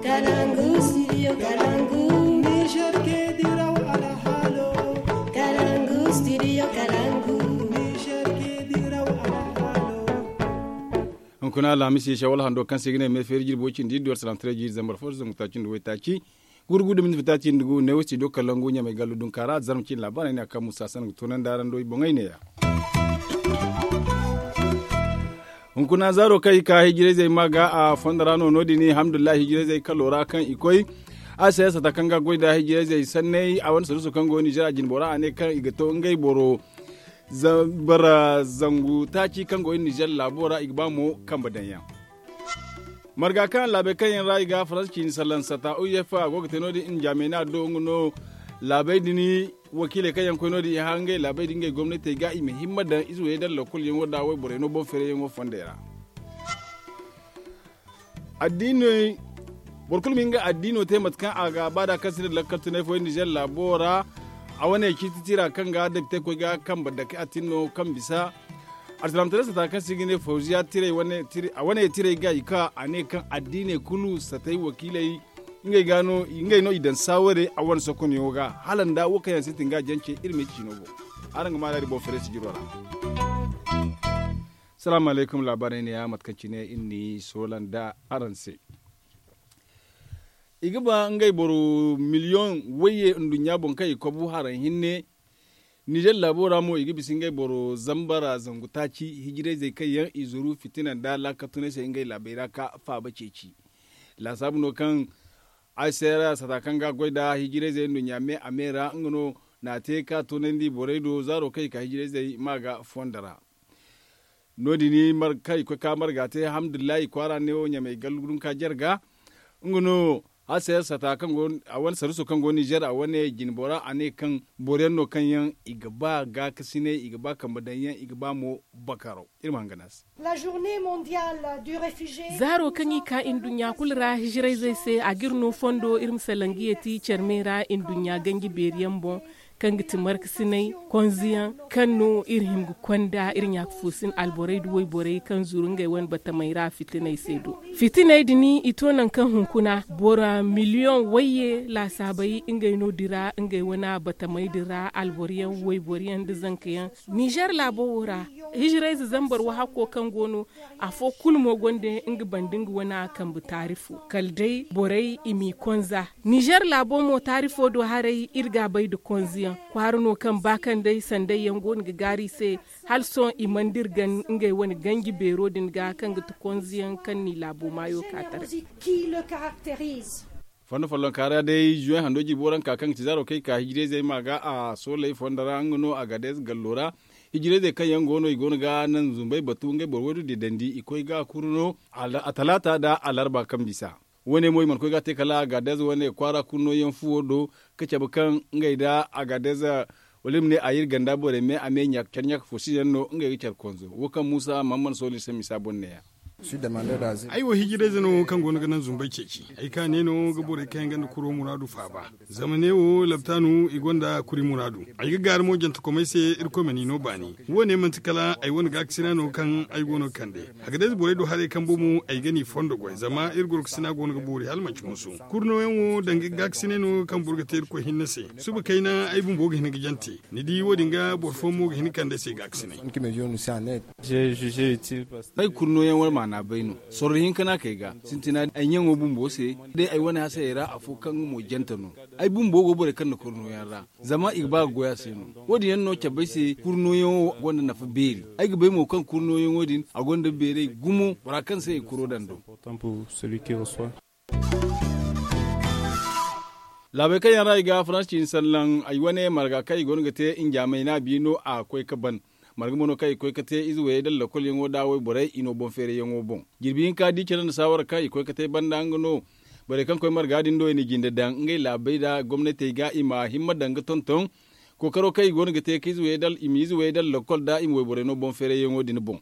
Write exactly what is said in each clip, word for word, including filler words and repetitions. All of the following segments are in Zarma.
Kalangu studio kalangu. Niger ke diraw alhalo. Kalangu studio kalangu. Niger ke diraw alhalo. Hunkuna alhamisi shawal hando kaŋ se ga ne me feeri jirbi way cindi iddu arsalaam tare jiiri zambar fo zangu taaci nda way taaci. Gurgu da minti fitaaci nda gu ne way studio kalangu ɲamay gallu dunka ra zarma cin laabaarey ne a kaŋ musa sangu toonandi araŋ do i boŋey ne ya. Hunkuna zaaro kaŋ i ka hijirayzey ma ga a fondo ra no no- din alhamdulillahi hijirayzey kalo ra kaŋ i koy. A se sata kaŋ ga goy nda hijirayzey sanney a wane sarusu kaŋ go nizer a jinbo ra a ne kaŋ i ga to ngey boro. Bara zangu taaci kaŋ go nizer laabo ra i ga ba mo kambe daŋ yaŋ. Marga kaŋ laabey kaŋ yaŋ ra i ga faransa ciini salaŋ sata u f a go ga te no- din njaamey no a do nga no. Laabey din wakiiley kaŋ yaŋ koy no- din i hã ngey laabey din ngey gomnatey ga i ma himma daŋ ize wayey daŋ lokol yaŋo nda wayborey no boŋ feerayyaŋo fondey ra. Addiiney boro kulu ma hin ga addiino te mate kaŋ a ga a ba da kaŋ si ne lakkal tunay fooyaŋ nizer laabo ra. A wane ciiti tira kaŋ ga dabte koy ga kambe dake a tin no kaŋ bisa. Alsilaamataray sata kaŋ se i ga ne fawziya tiray wane tiray ga i ka a ne kaŋ addiiney kulu satay wakiiley ngey no i daŋ saaware a wane sokonyaŋo ga hala nda wo kaŋ yaŋ sintin ga a jance iri ma ay ciino boŋ. Araŋ ga maana iri boŋ feere sijiro ra. Salaamu alaykum laabaarey ne ya mate kaŋ cine iri n'i soola nda araŋ se. I ga ba ngey boro miliyoŋ wayye nduɲɲa boŋ kaŋ i kobu haraŋ hinne. Nizer laabo ra mo i ga bisa ngey boro zambara zangu taaci hijirayzey kaŋ yaŋ i zuru fitina nda laakatunay se ngey laabey ra ka faaba ceeci. Laasaabu no kaŋ a se ra sata kaŋ ga a goy nda hijirayzey nduɲɲa me a me ra nga no na a te ka toonandi borey do zaaro kaŋ i ka hijirayzey ma ga fondo ra. No- din kaŋ i koy ka marga te alhamdulillahi kwaara ne wo ɲamey gallu dunka jarga. Nga no a se sata kaŋ go a wane saruso kaŋ go nizer a wane jinbo ra a ne kaŋ boro yaŋ no kaŋ yaŋ i ga ba gaakasinay i ga ba kambe daŋ yaŋ i ga ba mo bakaro. Iri ma hangan a se. Zaaro kaŋ i ka nduɲɲa kulu ra hijirayzey se a ga iri no fondo iri ma salaŋ ga yeeti care me ra nduɲɲa ganji beeri yaŋ boŋ. Kaŋ ga ti markasinay konzeyaŋ kaŋ no iri hin ga konda iri ɲaaka foosin alborey nda wayborey kaŋ zuru ngey wane batamey ra fitiney se do. Fitiney din i to nangu kaŋ hunkuna boro miliyoŋ wayye laasaabey ngey no dira ngey wane batamey din ra alboro yaŋ wayboro yaŋ nda zanka yaŋ. Nizer laabo wo ra hijirayze zambar wahakko kaŋ go no afo kulu mo gonda nga banda nga wane kambe taarifo kala day borey i m'i konza. Nizer laabo mo taarifo do haray iri ga a bay nda konzeyaŋ kwaara no kaŋ ba kaŋ day sanday yaŋ go no ga gaaru i se. Hala sohõ i mana dira gan ngey wane ganji beero din ga kaŋ ga ti konzeyaŋ kaŋ n'i laabo maayo ka taray. Fondo follonka ra day zuwey hando jirbo ra nga ka kaŋ ga ti zaaro kaŋ i ka hijirayzey ma ga a sooley fondo ra nga no a ga day gallo ra. Hijirayzey kaŋ yaŋ go no i go no ga naŋ zumbey batu ngey boro waydu didandi i koy ga kuru no. A talaata nda alarba kaŋ bisa. Wo- ne mo i mana koy ga a te kala a ga day za wo- ne kwaara kulu no yaŋ fuwo do ka cabe kaŋ ngey nda a ga day za wala i ma ne a iri ganda borey me a me care ɲaaka fo si yaŋ no ngey ga care konzo wo kaŋ muusa mahamman sooli se misa boŋ ne- ya. Ay wo hijirayze no kaŋ go no ga naŋ zumbey ceeci. Ay ka ne no ga borey kaŋ yaŋ gonda kuro muraadu faaba. Zama ne wo labtaanu i gonda kuri muraadu. Ay ga gaaru mo jantakomey se irkoy ma n'i no baani. Wo- ne manti kala ay wane gaakasina no kaŋ ay go no ga kande. A ga day za borey do haray kaŋ bomo ay ga n'i fondo goy zama iri gorkasina go no ga boori hala manti hunsu. Kuri nooyaŋ wo danga gaakasinay no kaŋ boro ga te irkoy hinne se. Suba kayna ay bumbo ga hin ga jante. Ni di wo- din ga boro fooyaŋ mo ga hin ga kande ay se gaakasinay. Ay kuri nooyaŋ war maana bay no. Sorro hinka no a kay ga sintina ay ɲaŋo bumbo se. Day ay wane hasayey ra afo kaŋ nga mo jante no. Ay bumbo go borey kaŋ na kuri nooyaŋ ra. Zama i ga ba ga goy a se no. Wo- din yaŋ no cabe ay se kuri nooyaŋo gonda nafa beeri. Ay ga bay mo kaŋ kuri nooyaŋo din a gonda beeray gumo bora kaŋ se i kuro daŋ do. Laabey kaŋ yaŋ ra i ga faransa ciini sallaŋ ay wane marga kaŋ i go no ga te njaamey no a bi no a koy ga ban. Marga mo no kaŋ i koy ga te ize wayey da lakolyaŋo da wayborey i no boŋ feerayyaŋo boŋ. Jirbi hinka di care nda saawara kaŋ i koy ga te banda nga no. Borey kaŋ koy marga din do i na jinde daŋ ngey laabey da gomnatey ga i ma himma daŋ ga tonton. Kookaro kaŋ i go no ga te ka ize wayey da lakol da i ma wayborey no boŋ feerayyaŋo din boŋ.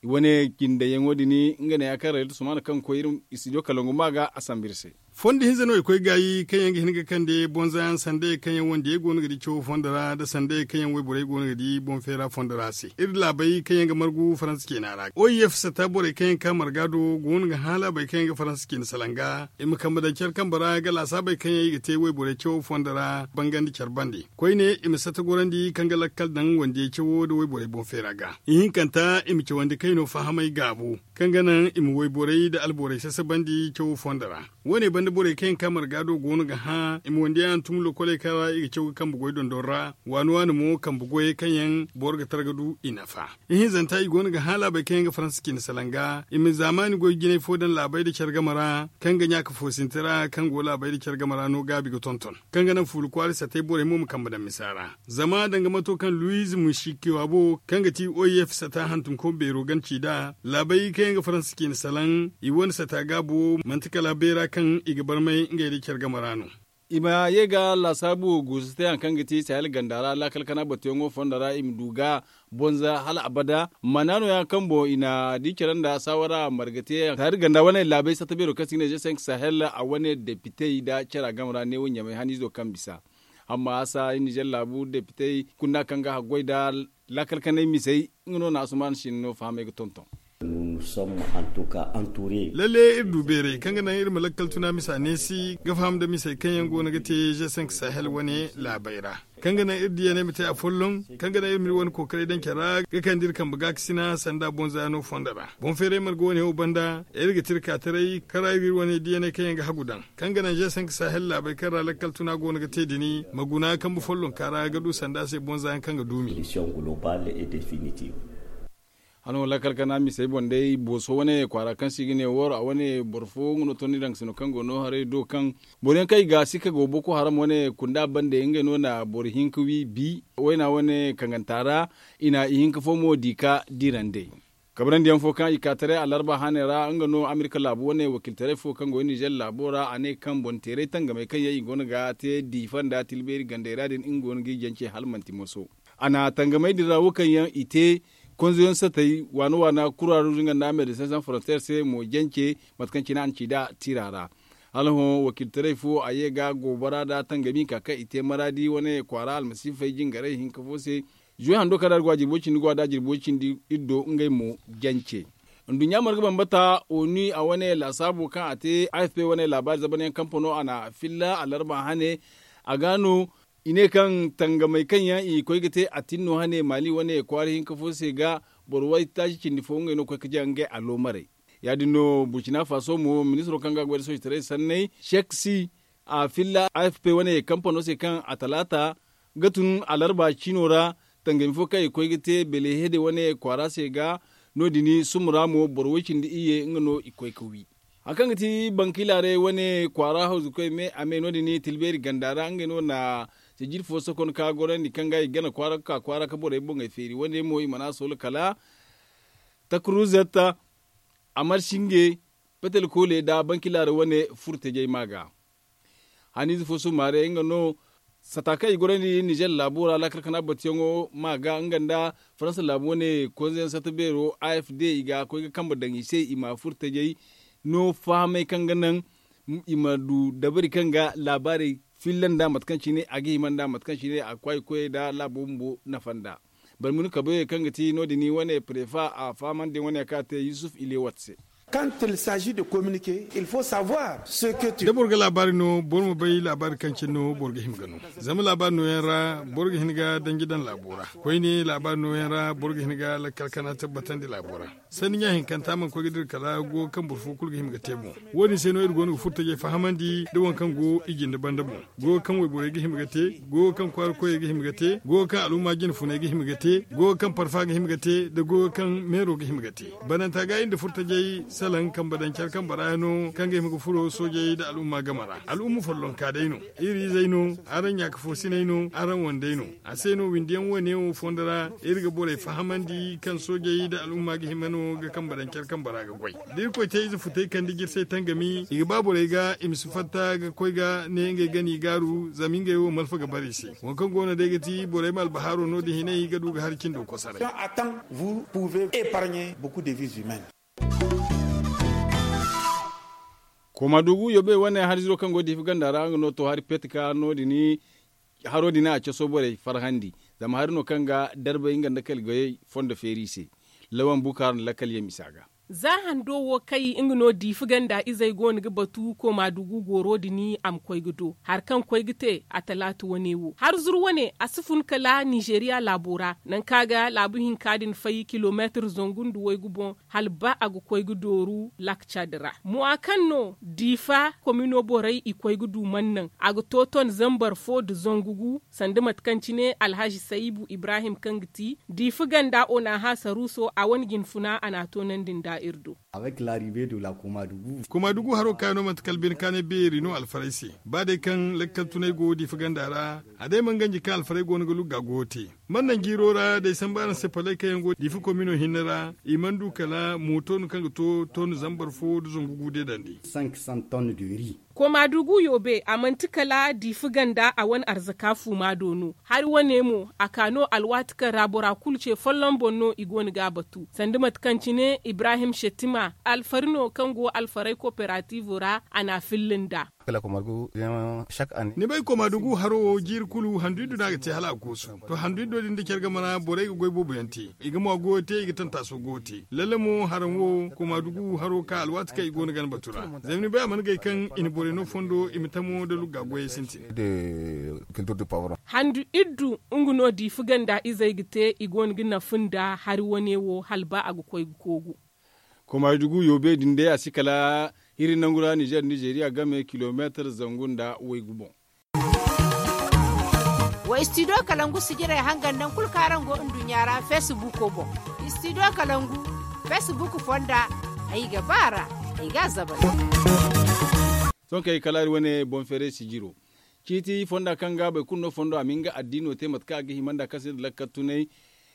I wane jindeyaŋo din nga ne ya kaŋ rayla tusumana kaŋ ga koy iri studio kalangu ma ga a sambu iri se. Fondo hinza no i koy gaayi kaŋ yaŋ ga hin ga kande bonza yaŋ sandey kaŋ yaŋ wandiyey go no ga di cawo fondo ra nda sandey kaŋ yaŋ wayborey go no ga di boŋ feera fondo ra se iri laabey kaŋ yaŋ ga margu faransa ceena ra o i f sata borey kaŋ yaŋ ga ka marga do go no ga hã laabey kaŋ yaŋ ga faransa ceena salaŋ ga i ma kambe daŋ care kambe ra ga laasaabey kaŋ yaŋ i ga te wayborey cawo fondo ra bangandi care bande. Koyne i ma sata gorandi kaŋ ga lakkal daŋ wandiyey cawo nda wayborey boŋ feera ga ihinkanta i ma cawandi kayno fahamey gaabu kaŋ ga naŋ i ma wayborey nda alborey sasabandi cawo fondo ra. Wo- ne banda borey kaŋ yaŋ ka marga do go no ga hã i ma wandiyaŋ hantum lokoley kaŋ ra i ga caw ga kambe goy dondon ra waani waani mo kambe goyey kaŋ yaŋ boro ga tara ga du i nafa. Ihinzanta i go no ga hã laabey kaŋ yaŋ ga faransa cindi salaŋ ga i ma zaamaani goy jinay fo daŋ laabey nda care game ra kaŋ ga ɲaaka foosinte ra kaŋ go laabey nda care game ra no gaabi ga tonton kaŋ ga naŋ fuula kwaara satey borey mo ma kambe daŋ misa ra. Zama danga mato kaŋ luwiz musikewabo kaŋ ga ti o i f sata hantumko beero gana ci nd'a laabey kaŋ yaŋ ga faransa cindi salaŋ i wane sata gaabo manti kala beera kaŋ i ga barmay ngey nda care game ra no. I ma ye ga laasaabu guusu te hari kaŋ ga ti sahel ganda ra laakal kana batuyaŋo fondo ra i ma du ga bonza hala abada mana nooya kaŋ boŋ i na di care nda saawara marga te taari ganda wane laabey sata beero kaŋ se i ga ne ze cinq sahel a wane depitey nda care game ra neewo ɲamay haniizo kaŋ bisa. Amma a sa i nizer laabu depitey kunda kaŋ ga haggoy nda laakal kanay misey nga no na asuman sinno fahamey ga tonton. Lalle iri du beeray kaŋ ga naŋ iri ma lakkal tuna misa neesi ga faham nda misey kaŋ yaŋ go no ga te ze cinq sahel wane laabey ra kaŋ ga naŋ iri diyaney ma te afolloŋ kaŋ ga naŋ iri ma iri wane kookaray daŋ care ra ga kande iri kambe gaakasina sanda bonza yaŋo fondo ra boŋ feeray marga wane wo banda iri ga te iri ka taray kaŋ ra iri ga iri wane diyaney kaŋ yaŋ ga hagu daŋ kaŋ ga naŋ ze cinq sahel laabey kaŋ ra lakkal tuna go no ga te dini ma guna kambe follonka ra ga du sanda se bonza yaŋ kaŋ ga duumi. Hano lakkal kana misey boŋ day booso wane kwaara kaŋ se i ga ne wor a wane boro fo nga no tondi daŋ sino kaŋ go no haray do kaŋ boro yaŋ kaŋ i ga sikka go boko haram wane kunda bande ngey no na boro hinka wi bi wayna wane kaŋ ganta ra i na ihinka fo mo di ka dirandey. Kabrandi yaŋ fo kaŋ i ka taray alarba hane ra nga no amerika laabu wane wakiltaray fo kaŋ go nizer laabo ra a ne kaŋ boŋ teeray tangamey kaŋ yaŋ i go no ga te diifa nda tilbeeri gandey ra din nga go no ga i jance hala manti moso. A na tangamey din ra wo kaŋ yaŋ i te konzoyaŋ satey waana waana kuraru zinga nda medecin sans frontier se mo jance mate kaŋ cine a na ci nd'a tiira ra. Hala hõ wakiltaray fo a ye ga goobara nda tangami hinka kaŋ i te maraadi wane kwaara almasiifey jingaray hinka fo se. Zuwe hando kaŋ da a ga wa jirbo cindi go a da jirbo cindi iri do ngey mo jance. Nduɲɲa marga bambata onu a wane laasaabo kaŋ a te afp wane laabaari zabanyaŋ kampano a na filla alarba hane. A ga no i ne kaŋ tangamey kaŋ yaŋ i koy ga te a tinno hane maali wane kwaara hinka fo se ga boro waytaaci cindi fo ngey no koy ga jaŋ ngey aloomarey. Ya- din no burcina faso mo ministiro kaŋ ga goy nda soojitaray sanney seksi a filla afp wane kampano se kaŋ a talaata ga tun alarba ciino ra tangami fo kaŋ i koy ga te belehede wane kwaara se ga no- din sumura mo boro way cindi iyye nga no i koy ga wi. Hari kaŋ ga ti bankilaaray wane kwaara hawzukoy me a me no- din tilbeeri ganda ra ngey no na sijiri fo sokon ka gorandi kaŋ ga i gana kwaara ga ka kwaara ga borey boŋey feeri wane mo i mana soola kala takruzet amarsinge petel koole nda bankilaaray wane furtajey ma ga. Haniize fo summaare nga no sata kaŋ i gorandi nizer laabo ra laakal kana batuyaŋo ma ga nga nda faransa laabu wane konzeyaŋ sata beero afd i ga koy ga kambe daŋ i se i ma furtajey no fahamey kaŋ ga naŋ i ma du dabari kaŋ ga laabaarey filla nda mate kaŋ cine a ga hima nda mate kaŋ cine a ga kwaay koyey nda laabo bumbo nafa nda. Barmuni kabayey kaŋ ga ti no- din wane prefa a fahamandi wane kaŋ a te yusuf ilewat se. Quand il s'agit de communiquer il faut savoir ce que tu. Da boro ga laabaari no boro ma bay laabaari kaŋ cine no boro ga hima ga no. Zama laabaari nooyaŋ ra boro ga hin ga danji daŋ laabo ra. Koyne laabaari nooyaŋ ra boro ga hin ga lakkal kana tabbatandi laabo ra. Sanni ɲa hinkanta mana koy ga dira kala go kaŋ boro fo kulu ga hima ga te boŋ. Wo- din se no iri go no ga furtajey fahamandi nda waŋ kaŋ go i jinde banda boŋ. Go kaŋ wayborey ga hima ga te, go kaŋ kwaara koyey ga hima ga te, go kaŋ al'umma jine funey ga hima ga te, go kaŋ parfa ga hima ga te nda go kaŋ meero ga hima ga te. Bananta ga iri nda furtajey salaŋ kambe daŋ care kambe ra yaŋ no kaŋ ga hima ga furo soojey nda al'umma game ra. Al'umma follonka day no. Iri izey no. Araŋ ɲaaka foosiney no. Araŋ wandey no. A se no windiyaŋ wane wo fondo ra iri ga borey fahamandi kaŋ soojey nda al'umma ga hima no ga kambe daŋ care kambe ra ga goy. Da irkoy te ize futey kande jirsey tangami i ga ba borey ga i ma si fatta ga koy ga ne ngey gana i gaaru zama ngey wo malfa ga bare i se. Waŋ kaŋ go no day ga ti borey ma albahaaro no- din hinay ga du ga hari cindo kosaray. Attends vous pouvez épargner beaucoup de vies humaines. Koma dugu yobe wane hari ziro kaŋ go diifi ganda ra nga no to hari pet ka no- din haro din a caso borey farhandi. Zama hari no kaŋ ga darbay nga nda kala goyey fondo feeri i se. Lawan bukaar nda lakkal yaŋ misa ga. Za hando wo kay nga no diifi ganda izey go no ga batu koma dugu goro din a ma koy ga do hari kaŋ koy ga te a talaata wane wo hari zuru wane a si fun kala nizeeriya laabo ra nangu kaŋ a ga laabu hinka din fay kilomeetir zangu nda waygu boŋ. Hala ba a ga koy ga dooru laak cad ra mo a kaŋ no diifa komino borey i koy ga du man naŋ a ga to ton zambar fo nda zangu gu sanda mate kaŋ cine alhazi sayibu ibrahim kaŋ ga ti diifa ganda onaha saruuso a wane jinfuna a n'a toonandi nda iri do. Koma dugu haro kaŋ yaŋ no manti kala bine kaanay beeri no alfarey se. Ba day kaŋ lakkal tunay go diifa ganda ra a day mana ganji kaŋ alfarey go no ga lugga goyo te. Man naŋ jiiro ra day sambu araŋ se palay kaŋ yaŋ go diifa komino hinne ra i mana du kala mooto no kaŋ ga to ton zambar fo nda zangu gu deedandi. Koma dugu yoobe a manti kala diifa ganda a wane arzaka fuuma do no. Hari wane mo a ka no alwaati kaŋ ra bora kulu ce folloŋ boŋ no i go no ga a batu sanda mate kaŋ cine ibrahim settima alfari no kaŋ go alfarey koperatiivo ra a n'a filla nd'a. Ni bay koma dugu haro wo jiiri kulu handu iddu no a ga te hala a goosu. To handu iddo din da care game ra borey ga goy boobo yaŋ te. I ga mo goyo te i ga tantaaso goyo te lalle mo haraŋ wo koma dugu haro ka alwaati kaŋ i go no gana batu ra. Zama ni bay a mana gay kaŋ i na borey no fondo i ma tamo nda lugga goyey sintin. Handu iddu nga no diifa ganda izey ga te i go no ga nafa nda hari wane wo hala ba a ga koy ga koogu. Koma dugu yoobe din day a si kala hiri nangu ra nizeer nizeeriya game kilomeetir zangu nda waygu boŋ. Wa istidiyo kalangu sijirey hangan naŋ kulu kaŋ araŋ go nduɲɲa ra feesibuuko boŋ. Istidiyo kalangu feesibuuko fonda ay ga ba a ra. Ay ga a zabal. Sohõ kay kala iri wane boŋ feeray sijiro ciiti fonda kaŋ ga boro kulu no fondo a ma hin ga addiino te mate kaŋ a ga hima nda kaŋ se nda lakkal tunay.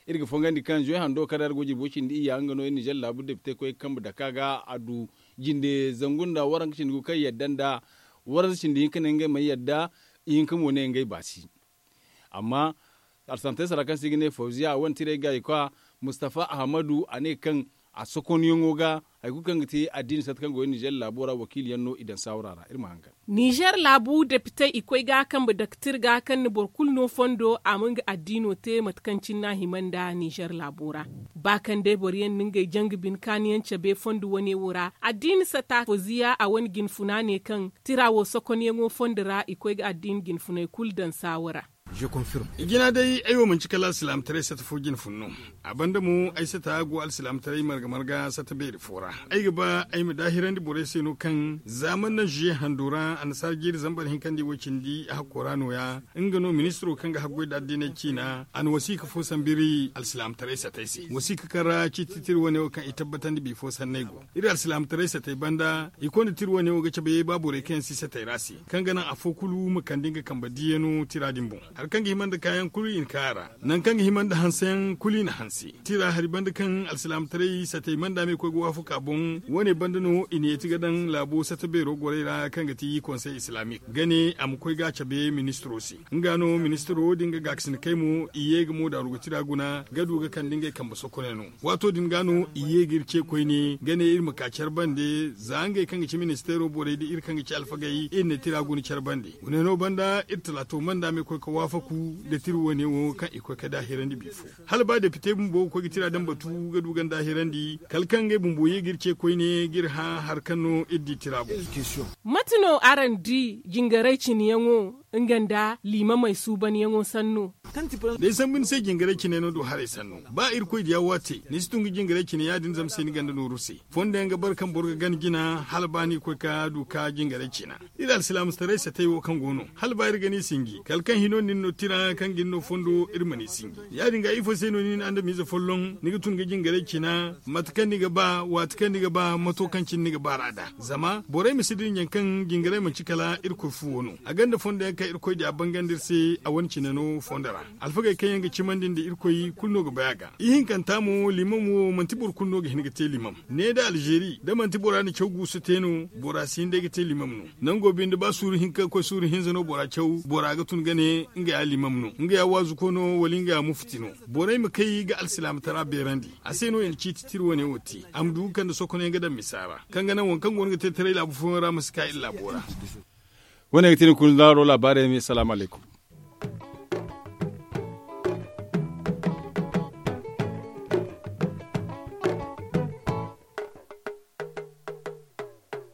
Iri ga fongandi kaŋ zuwe hando kaŋ ra iri go jirbo cindi iyya nga no iri nizeer laabu depite koy ga kambe dake a ga a du jinde zangu nda waranka cindi gu kaŋ yadda nda waranka cindi hinka ne ngey mana yadda. Ihinka mo ne ngey baasi. Amma alsantey sara kaŋ se i ga ne fawziya a wane tiray ga i kwa mustafa ahamadu a ne kaŋ a sokonyaŋo ga hari kulu kaŋ ga te addiini sata kaŋ go iri nizeer laabo ra wakiili yaŋ no i daŋ saawara ra iri ma hangan. Nizeer laabu depitey i koy ga kambe daktir ga kaŋ na boro kulu no fondo a ma nga addiino te mate kaŋ cine no a hima nda nizeer laabo ra. Ba kaŋ day boro yaŋ na ngey janga bine kaani yaŋ cabe fondo wane wo ra addiini sata fawziya a wane jinfuna ne kaŋ tira wo sokonyaŋo fondo ra i koy ga addiini jinfuney kulu daŋ saawa ra. I jina day ay wo manci kala alsilaamataray sata fo jine fun no. A banda mo ay sata go alsilaamataray marga marga sata beeri fo ra. Ay ga ba ay ma daahirandi borey se no kaŋ za man naŋ zuye hando ra annasaara jiiri zambar hinkandi wo cindi a hakko ra nooya. Nga no ministiro kaŋ ga haggoy nda addiney ciina a na wasiika fo sambu iri alsilaamataray satey se wasiika kaŋ ra ciiti tira wane wo kaŋ i tabbatandi bifo sanney go. Iri alsilaamataray satey banda i konda tira wane wo ga cabe ba borey kaŋ yaŋ si satey ra se kaŋ ga naŋ afo kulu ma kande nga kambe diiyano tira din boŋ. Hari kaŋ ga hima nda kaayaŋ kulu i na ka a ra. Nangu kaŋ ga hima nda hanseyaŋ kulu i na hanse. Tira hari banda kaŋ alsilaamataray satey manda me koy ga waafaku a boŋ wane banda no i na yeeti ga daŋ laabo sata beero gorey ra kaŋ ga ti konsey islaamik ga ne a ma koy ga a cabe ministiro se. Nga no ministiro din ga gaakasina kay mo i ye ga mo daaru ga tira guna ga du ga kande ngey kambe sokoney no. Waato din ga no i ye ga iri ce koyne ga ne iri ma ka care bande za ngey kaŋ ga ci ministeero borey da iri kaŋ ga ci alfagey iri na tira guna care bande. Guna no banda iri talaato manda me koy ga waafaku nda tira wane wo kaŋ i koy ga daahirandi bifo. Hala ba depite bumbo ga koy ga tira daŋ batu ga du ga ni daahirandi kala kaŋ ngey bumbo ye ga iri ce koyne ga iri hã hari kaŋ no iri di tira boŋ. Mate no araŋ di jingaray cine yaŋo nga nda liimamey suubanyaŋo sanno? Day sambu ni se jingaray cine no du haray sanno ba irkoy diya wo a te ni si tun ga jingaray cine ya- din zama se ni ganda nooru se. Fondo yaŋ ga bare kaŋ boro ga gana jina hala ba ni ga koy ga du ga jingaray cina. Iri alsilaamataray satey wo kaŋ go no hala ba iri ga ni sinji kala kaŋ hino nin no tira kaŋ ga ni no fondo iri ma ni sinji. Ya- din ga ifo se no nin andamiize folloŋ ni ga tun ga jingaray cina mate kaŋ ni ga ba waati kaŋ ni ga ba mato kaŋ cine ni ga ba ra nd'a. Zama borey ma si dinya kaŋ jingaray manci kala irkoy fuwo no a gonda fondo yaŋ kaŋ irkoy diya bangandi iri se a wane cine no fondo ra. Alfagey kaŋ yaŋ ga cimandi nda irkoy kulu no ga bay a ga. Ihinkanta mo limam wo manti boro kulu no ga hin ga te limam. Ne da alzeeri da manti bora na caw guusu te no, bora si hin day ga te limam no. Nango binde ba suuru hinka ga koy suuru hinza no bora caw, bora ga tun ga ne nga ya limam no, nga ya waazuko no wala nga ya mufti no. Borey ma kay ga alsilaama tara beerandi. A se no i na ciiti tira wane wo te, a ma du ga kande sokonayaŋ ga daŋ misa ra, kaŋ ga naŋ waŋ kaŋ go no ga te taray laabu fooyaŋ ra ma si ka iri laabo ra. Wo- ne ga te ni kulu zaaro laabaarey me salaamu alaykum.